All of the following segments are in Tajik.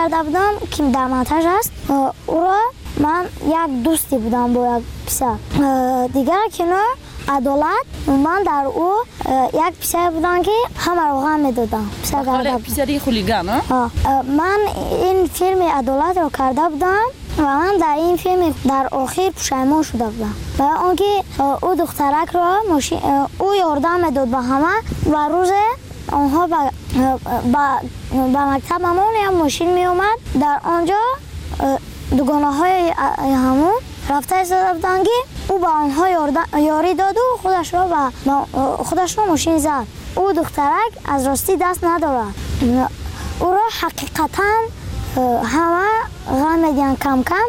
карда будам, ки дар монтаж аст. Ӯро ман як дӯсте будам бо як писар. Дигар кино Адолат, ман дар ӯ як писаре будам, ки ҳамаро ғам медодам. Писари хулиган? Ман ин филми Адолатро карда будам ва ман дар ин филм дар охир пушаймон шуда будам. Барои он ки ӯ духтаракро ӯ ёрдам медод ба ҳама ва рӯзе онҳо ба мактабамон як мошин меомад. Дар он ҷо дугонаҳои ҳамон рафта истода буданд, ки ӯ ба онҳо ёрӣ доду худашро мошин зад. Ӯ духтарак аз ростӣ даст надорад. Ӯро ҳақиқатан ҳама ғам медиҳанд кам-кам.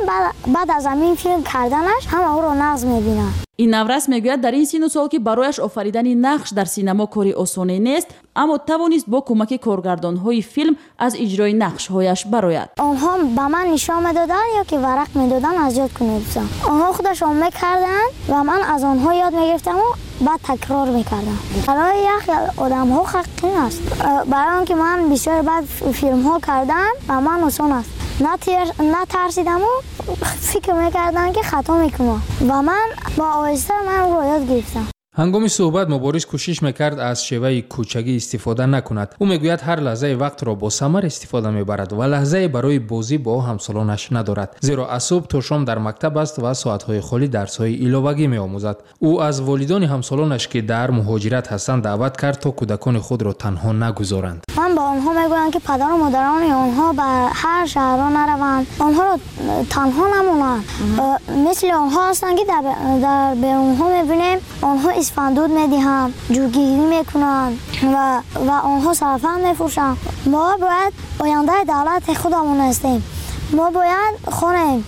Баъд аз ҳамин филм карданаш ҳама ӯро нағз мебинанд. Ин наврас мегӯяд, дар ин сину сол, ки барояш офаридани нақш дар синамо кори осоне нест, аммо тавонист бо кӯмаки коргардонҳои филм аз иҷрои нақшҳояш барояд. Онҳо ба ман нишон медоданд ё ки варақ медоданд, аз ёд кунед. Онҳо худашон мекарданд ва ман аз онҳо ёд мегирифтаму баъд такрор мекардам. Барои як одамҳо қин аст. Барои он ки ман бисёр баъд филмҳо кардам, ба ман осон аст. Натарсидаму фикр мекардам, ки хато мекунам, ва ман бо оҳиста ман ӯро ёд гирифтам. Ҳангоми суҳбат Мубориз кӯшиш мекард аз шеваи кӯчагӣ истифода накунад. Ӯ мегӯяд, ҳар лаҳзаи вақтро бо самар истифода мебарад ва лаҳзае барои бозӣ бо ҳамсолонаш надорад, зеро аз субҳ то шом дар мактаб аст ва соатҳои холӣ дарсҳои иловагӣ меомӯзад. Ӯ аз волидони ҳамсолонаш, ки дар муҳоҷират ҳастанд, даъват кард, то кӯдакони худро танҳо нагузоранд. Ман ба онҳо мегӯям, ки падару модарони онҳо ба ҳар шаҳрҳо нараванд, онҳоро танҳо намонанд. Мисли онҳо ҳастанд, ки дар берунҳо мебинем, онҳо исфандуд медиҳанд, ҷӯгирӣ мекунанд ва онҳо сарафан мефурӯшанд. Мо бояд ояндаи давлати худамон ҳастем. Мо бояд хонем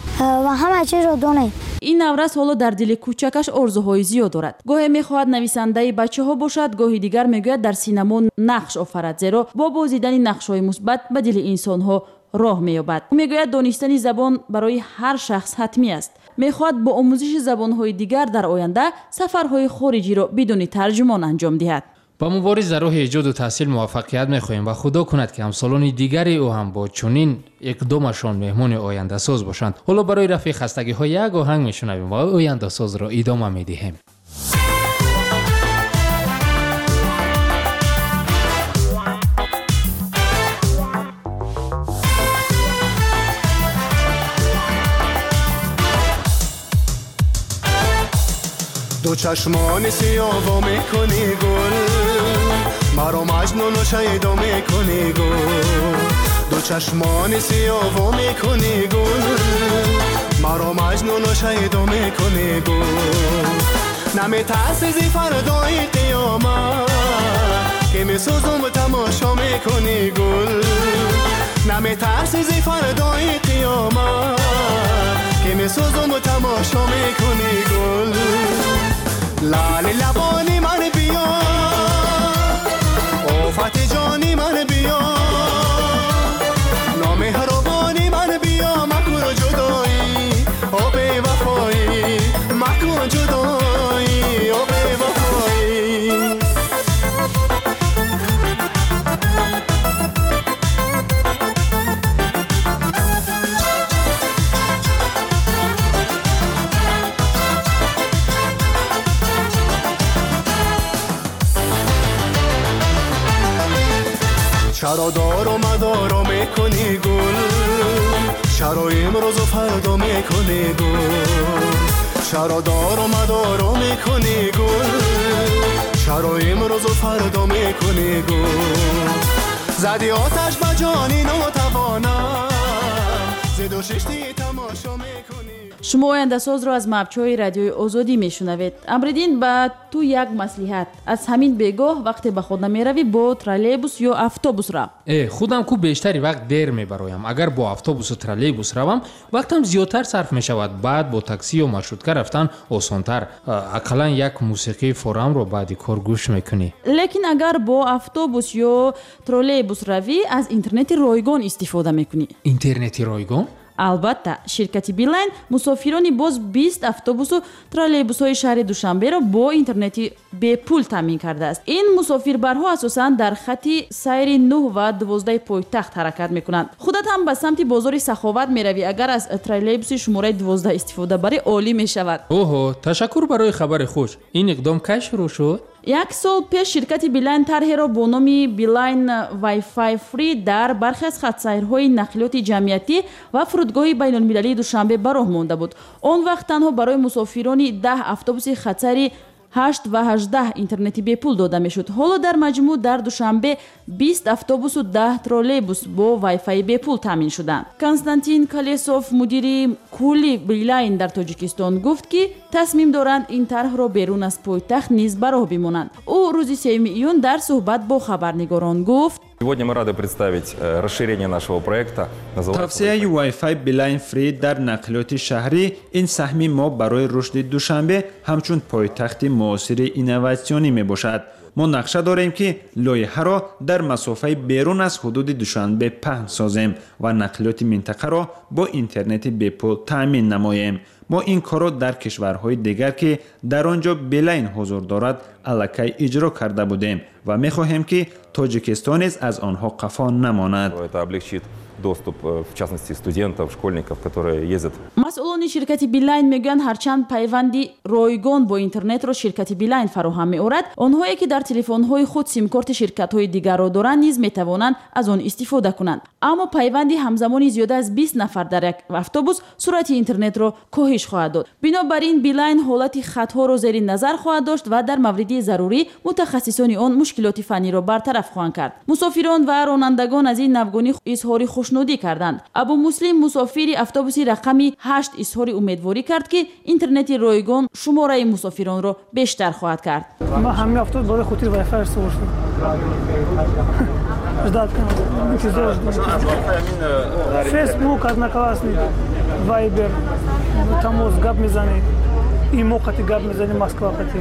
ва ҳама чизро донем. Ин наврас ҳоло дар дили кӯчакаш орзуҳои зиёд дорад. Гоҳе мехоҳад нависандаи бачаҳо бошад, гоҳи дигар мегӯяд дар синамо нақш офарад, зеро бо бозидани нақшҳои мусбат ба дили инсонҳо роҳ меёбад. Ӯ мегӯяд, донистани забон барои ҳар шахс ҳатмӣ аст. Мехоҳад бо омӯзиши забонҳои дигар дар оянда сафарҳои хориҷиро бидуни тарҷумон анҷом диҳад. Ба Мубориз дар роҳи эҷоду таҳсил муваффақият мехоҳем ва худо кунад, ки ҳамсолони дигари ӯ ҳам бо чунин иқдомашон меҳмони ояндасоз бошанд. Ҳоло барои рафъи хастагиҳо як оҳанг мешунавем ва ояндасозро идома медиҳем. Ду чашмони сиёҳ мекунӣ гул, маро маҷнуну шайдо мекунӣ гул. Ду чашмони сиёҳ мекунӣ гул, маро маҷнуну шайдо мекунӣ гул. Наметарсӣ зи фардои қиёмат, ки месӯзум тамошо мекунӣ гул. Наметарсӣ зи фардои қиёмат, ки месӯзум тамошо мекунӣ гул. Лали лабони ман биё, офати ҷони ман биё, номеҳрубони ман биё, макун ҷудоӣ, о бевафоӣ, макун ҷудоӣ, о бевафоӣ. Чаро дору мадоро мекунӣ гул, чаро имрӯзу фардо мекунӣ гул. Чаро дору мадоро мекунӣ гул, чаро имрӯзу фардо мекунӣ гул. Зади оташ ба ҷони нотавонам, зиду шишти тамошо мекунӣ. Шумо ояндасозро аз мавҷҳои радиои Озодӣ мешунавед. Амриддин, ба ту як маслиҳат. Аз ҳамин бегоҳ вақте ба хона меравӣ, бо троллейбус ё автобус рав. Худам ку бештари вақт дер мебароям. Агар бо автобусу троллейбус равам, вақтам зиёдтар сарф мешавад. Баъд бо таксӣ ё маршрутка рафтан осонтар. Ақаллан як мусиқии форамро баъди кор гӯш мекунӣ. Лекин агар бо автобус ё троллейбус равӣ, аз интернети ройгон истифода мекунӣ. Интернети ройгон? Албатта, ширкати Билайн мусофирони боз 20 автобусу троллейбусҳои шаҳри Душанберо бо интернети бепул таъмин кардааст. Ин мусофирбарҳо асосан дар хати сайри 9 ва 12 пойтахт ҳаракат мекунанд. Худат ҳам ба самти бозори Саховат меравӣ, агар аз троллейбуси шумораи 12 истифода барӣ, олӣ мешавад. Оҳо, ташаккур барои хабари хуш. Ин иқдом кай шурӯъ шуд? Як сол пеш ширкати Билайн тарҳеро бо номи Билайн Wi-Fi Free дар бархе аз хатсайрҳои нақлиёти ҷамъиятӣ ва фурудгоҳи байналмилалии Душанбе ба роҳ монда буд. Он вақт танҳо барои мусофирони 10 автобуси хатсайри 8 ва 18 интернети бепул дода мешуд. Ҳоло дар маҷмӯъ дар Душанбе 20 автобусу 10 троллейбус бо Wi-Fi бепул таъмин шуданд. Константин Колесов, мудири кулли Билайн дар Тоҷикистон, гуфт, ки тасмим доранд ин тарҳро берун аз пойтахт низ ба роҳ бимонанд. Ӯ рӯзи 3 июн дар суҳбат бо хабарнигорон гуфт: Сегодня мы рады представить расширение нашего проекта. Тавсияи Wi-Fi Beeline Free дар нақлиёти шаҳрӣ ин саҳми мо барои рушди Душанбе ҳамчун пойтахти муосири инноватсионӣ мебошад. Мо нақша дорем, ки лоиҳаро дар масофаи берун аз ҳудуди Душанбе паҳн созем ва нақлиёти минтақаро бо интернети бепул таъмин намоем. Мо ин корро дар кишварҳои дигар, ки дар он ҷо Билайн ҳузур дорад, аллакай иҷро карда будем ва мехоҳем, ки Тоҷикистон низ аз онҳо қафо намонад. Это облегчит доступ, в частности, студентов, школьников, которые ездят. Масъулони ширкати Билайн мегӯянд, ҳарчанд пайванди ройгон бо интернетро ширкати Билайн фароҳам меорад, онҳое ки дар телефонҳои худ симкорти ширкатҳои дигарро доранд, низ метавонанд аз он истифода кунанд. Аммо пайванди ҳамзамони зиёда аз 20 нафар дар як автобус суръати интернетро коҳиш хоҳад дод. Бинобар ин Билайн ҳолати хатҳоро зери назар хоҳад дошт ва дар мавриди зарурӣ мутахассисони он мушкилоти фанниро бартараф хоҳанд кард. Мусофирон ва ронандагон аз ин навгонӣ изҳори хушнудӣ карданд. Абумуслим, мусофири автобуси рақами 8, изҳори умедворӣ кард, ки интернети ройгон шумораи мусофиронро бештар хоҳад кард. Ман ҳамин автобус барои хотири Wi-Fi сувор шудам. Ждать кунам, интизор ждам. Фейсбук, Одноклассник, Вайбер, тамос гап мезанӣ, имо қати гап мезанӣ, Москва қати,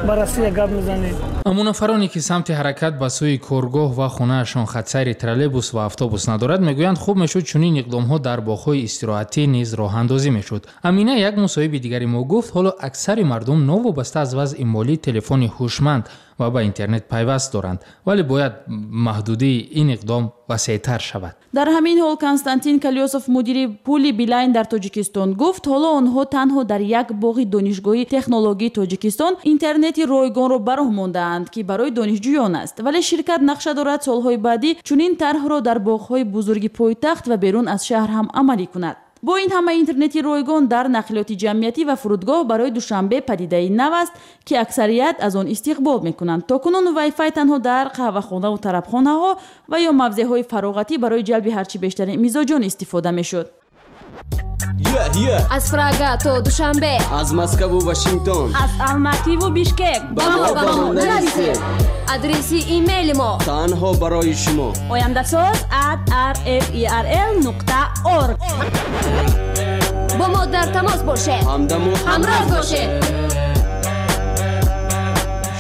ба Россия гап мезанӣ. Аммо нафароне, ки самти ҳаракат ба сӯи коргоҳ ва хонаашон хатсайри троллейбус ва автобус надорад, мегӯянд, хуб мешуд чунин иқдомҳо дар боғҳои истироҳатӣ низ роҳандозӣ мешуд. Амина, як мусоҳиби дигари мо, гуфт, ҳоло аксари мардум новобаста аз вазъи молӣ телефони ҳушманд ва ба интернет пайваст доранд, вале бояд маҳдудии ин иқдом васеътар шавад. Дар ҳамин ҳол Константин Калёсов, мудири пули Билайн дар Тоҷикистон, гуфт, ҳоло онҳо танҳо дар як боғи Донишгоҳи технологии Тоҷикистон интернети ройгонро ба роҳ мондаанд, ки барои донишҷӯён аст, вале ширкат нақша дорад солҳои баъдӣ чунин тарҳро дар боғҳои бузурги пойтахт ва берун аз шаҳр ҳам амалӣ кунад. Бо ин ҳама интернети ройгон дар нақлиёти ҷамъиятӣ ва фурудгоҳ барои Душанбе падидаи нав аст, ки аксарият аз он истиқбол мекунанд. То кунун Wi-Fi танҳо дар қаҳвахонаву тарабхонаҳо ва ё мавзеъҳои фароғатӣ барои ҷалби ҳарчи бештари мизоҷон истифода мешуд. Аз Прага то Душанбе, аз Москву Вашингтон, аз Алмативу Бишкек ба мо нависед. Адреси имейли мо танҳо барои шумо: ояндасоз@rferl.org. Бо мо дар тамос бошед, ҳамдаму ҳамроз бошед.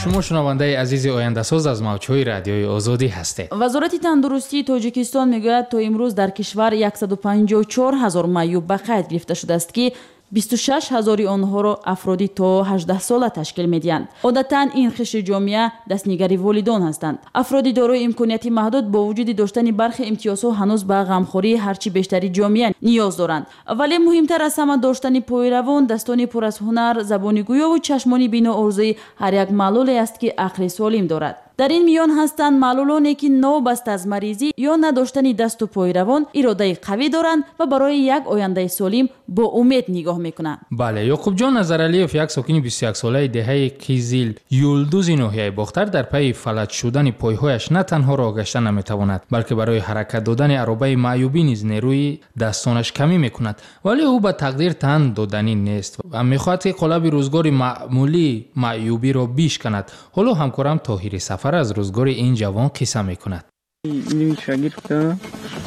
Шумо шунавандаи азизи Ояндасоз аз мавҷҳои Радиои Озодӣ ҳастед. Вазорати тандурустии Тоҷикистон мегӯяд, то имрӯз дар кишвар 154 ҳазор маъюб ба қайд гирифта шудааст, ки 26 ҳазори онҳоро афроди то 18 сола ташкил медиҳанд. Одатан ин қишри ҷомеа дастнигари волидон ҳастанд. Афроди дорои имконияти маҳдуд бо вуҷуди доштани бархе имтиёзҳо ҳанӯз ба ғамхории ҳарчи бештари ҷомеа ниёз доранд. Вале муҳимтар аз ҳама доштани пойравон, дастони пур аз ҳунар, забони гӯёву чашмони бино орзуи ҳар як маълуле аст, ки ақли солим дорад. Дар ин миён ҳастанд маълулоне, ки новобаста аз маризӣ ё надоштани дасту пойравон иродаи қавӣ доранд ва барои як ояндаи солим бо умед нигоҳ мекунанд. Бале, Ёқубҷон Назаралиев, як сокини 21-солаи деҳаи Қизил Юлдузи ноҳияи Бохтар, дар пайи фалаҷ шудани пойҳояш на танҳо роҳ гашта наметавонад, балки барои ҳаракат додани аробаи маъюбӣ низ нерӯи дастонаш камӣ мекунад. Вале ӯ ба тақдир тан доданӣ нест ва мехоҳад, ки қолаби рӯзгори маъмулии маъюбиро бишканад. Ҳоло ҳамкорам Тоҳири Сафар аз рӯзгори ин ҷавон қисса мекунад. Гирифта,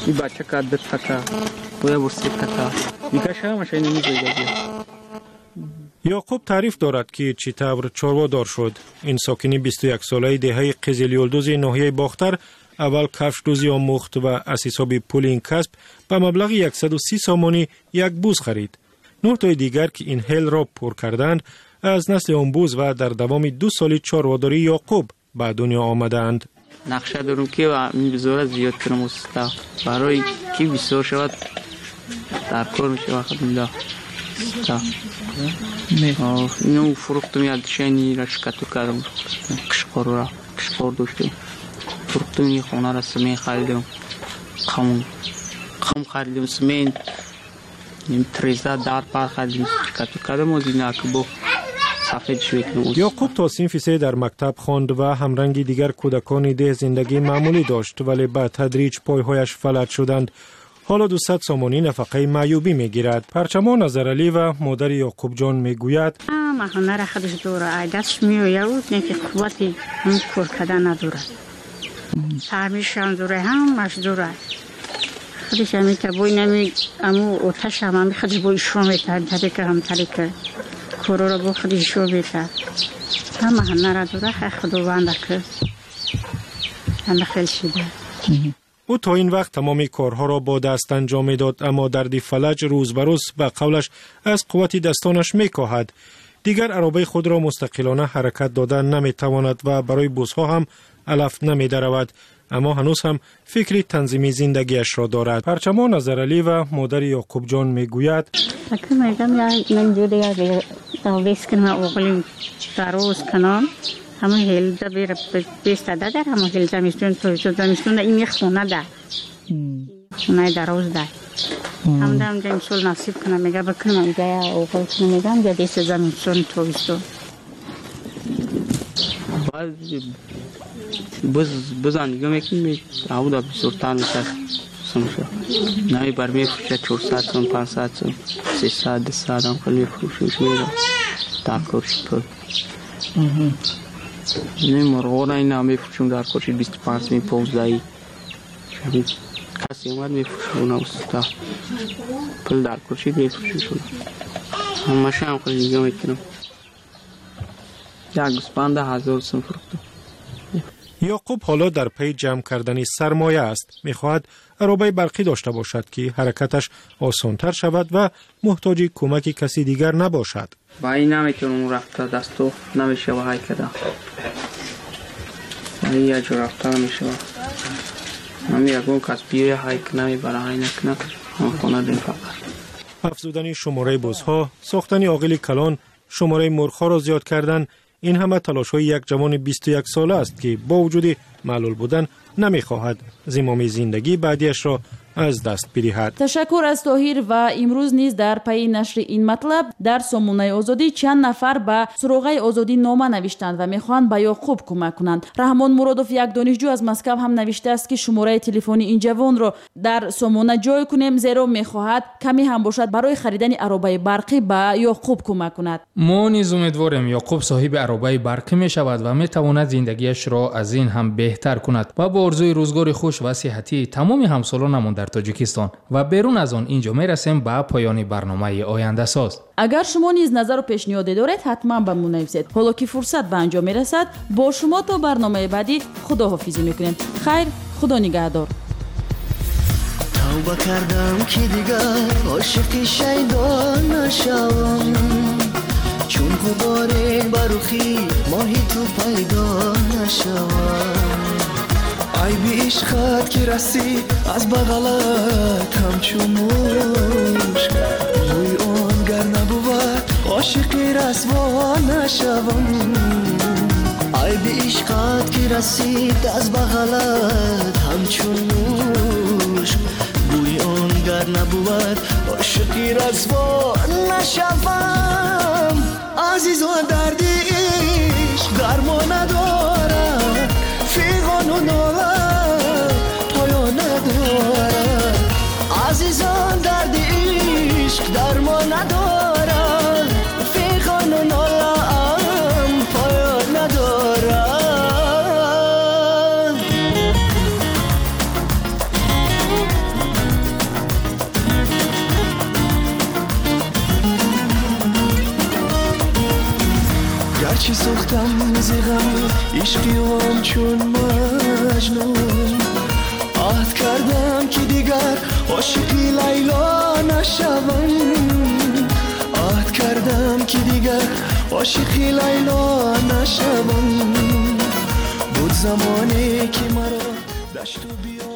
и бача ка ду така, боя бо се така, дигаша ҳамаша инами. Ёқуб таъриф дорад, ки чӣ тавр чорводор шуд. Ин сокини 21-солаи деҳаи Қизилюлдузи ноҳияи Бохтар Аввал кафшдӯзӣ омӯхт ва аз ҳисоби пули ин касб ба маблағи 130 сомонӣ як буз харид. 9 тои дигар, ки ин ҳелро пур кардаанд, аз насли он буз ва дар давоми 2 соли чорводории Ёқуб ба дунё омадаанд. Нақша дорам, ки ин бузора зиёд кунам, уста, барои ки бисёр шавад, дар кор мешавад. Алҳамдулиллоҳ, ину фурӯхтум, як душани шикату кардам, қишқорра қишқор доштем, фурӯхтум, ин хонара симент харидем, қум харидем, симент, треза, дар пар харидем, шикату кардам, озинаки бо Ёқуб то синфи 3 дар мактаб хонд ва ҳамранги дигар кӯдакони деҳ зиндагии маъмулӣ дошт, вале ба тадриҷ пойҳояш фалаҷ шуданд. Ҳоло 200 сомонӣ нафақаи маъюбӣ мегирад. Парчамо Назаралиева, модари Ёқубҷон, мегӯяд: Ҳама ҳунара худаш дора, ай дастш меояд, не ки қуввати ҳам кор кардан надорад. Фаҳмишам дора, ҳамаш дора. Худаш ҳамита бо инами аму оташам ҳами худаш бо ишо метаҳад, тарика ҳам тарика корора бо худ ишо метаҳад. Ҳама ҳунара дора, хай худованда ки ҳама хел шида. Ӯ то ин вақт тамоми корҳоро бо даст анҷом медод, аммо дарди фалаҷ рӯз ба рӯз, ба қавлаш, аз қуввати дастонаш мекоҳад. Дигар аробаи худро мустақилона ҳаракат дода наметавонад ва барои бузҳо ҳам алаф намедаравад, аммо ҳанӯз ҳам фикри танзими зиндагиашро дорад. Парчамо Назаралиева, модари Ёқубҷон, мегӯяд: Ҳамон ҳелда бестада, дар ҳамон ҳел замистон, тобистон, замистон ин хона да хонаи дароз да ҳамда ҳамҷа имсол насиб кунам, мега бикунам, ига оғоз кунам, мега ҳамҷа деса замистон, тобистон. Бузан нигоҳ мекунем, ҳавда бисёртар мешавад сумша. Намебар мефурӯшад 400 сум, 500 сум, 300, 200 ҳам хел мефурӯшем, мера дар корши пул. Не, мурғора ина мефурӯшем, дар корши 25 сум, 15. Касе омад, мефурӯшем, уна уста. Пул дар корши мефурӯшем. Ҳамаша ҳам хел нигоҳ мекунам. Як гӯсфанда 1000 сум фурӯхтам. Ёқуб ҳоло дар пайи ҷамъ кардани сармоя аст. Мехоҳад аробаи барқӣ дошта бошад, ки ҳаракаташ осонтар шавад ва муҳтоҷи кӯмаки каси дигар набошад. Ба ин наметавонам рафта, дасту намешава ҳай када. Ба ин як ҷо рафта намешава. Ҳами ягон кас биёя, ҳай намебара, ҳай накуна, ҳам хона дем фақат. Афзудани шумораи бузҳо, сохтани оғили калон, шумораи мурғҳоро зиёд кардан, ин ҳама талошҳои як ҷавони 21 сола аст, ки бо вуҷуди маълул будан намехоҳад зимоми зиндагии баъдиашро аз даст бидиҳад. Ташаккур аз Тоҳир. Ва имрӯз низ дар пайи нашри ин матлаб дар сомонаи Озодӣ чанд нафар ба суроғаи Озодӣ нома навиштанд ва мехоҳанд ба Ёқуб кӯмак кунанд. Раҳмон Муродов, як донишҷӯ аз Москав, ҳам навиштааст, ки шумораи телефони ин ҷавонро дар сомона ҷой кунем, зеро мехоҳад каме ҳам бошад барои харидани аробаи барқӣ ба Ёқуб кӯмак кунад. Мо низ умедворем, Ёқуб соҳиби аробаи барқӣ мешавад ва метавонад зиндагиашро аз ин ҳам беҳтар кунад ва бо орзуи рӯзгори хуш ва сиҳатии тамоми ҳамсолонамон дар Тоҷикистон ва берун аз он инҷо мерасем ба поёни барномаи Ояндасоз. Агар шумо низ назару пешниҳоде доред, ҳатман ба мо нависед. Ҳоло ки фурсат ба анҷом мерасад, бо шумо то барномаи баъдӣ худоҳофизӣ мекунем. Хайр, худо нигаҳдор. Тавба кардам, ки дигар ошиқи шайдо нашавам, чун ғуборе ба рухи моҳи ту пайдо нашавам. Айби ишқат ки расид аз бағалат ҳамчун мушк, бӯи он гар набувад, ошиқи расво нашавам. Айби ишқат ки расид аз бағалат ҳамчун мушк, бӯи он гар набувад, ошиқи расво нашавам. Азизон, дарди ишқ дармон надорад, фиғону нола поён надорад. Азизон, дарди ишқ дармон надорад, фиғону нолаам поён надорад. Гарчи сӯхтам зи ғами ишқи он чун маҷнун. Аҳд кардам, ки дигар ошиқи Лайло нашавам. Аҳд кардам, ки дигар ошиқи Лайло нашавам. Буд замоне, ки маро дашту биё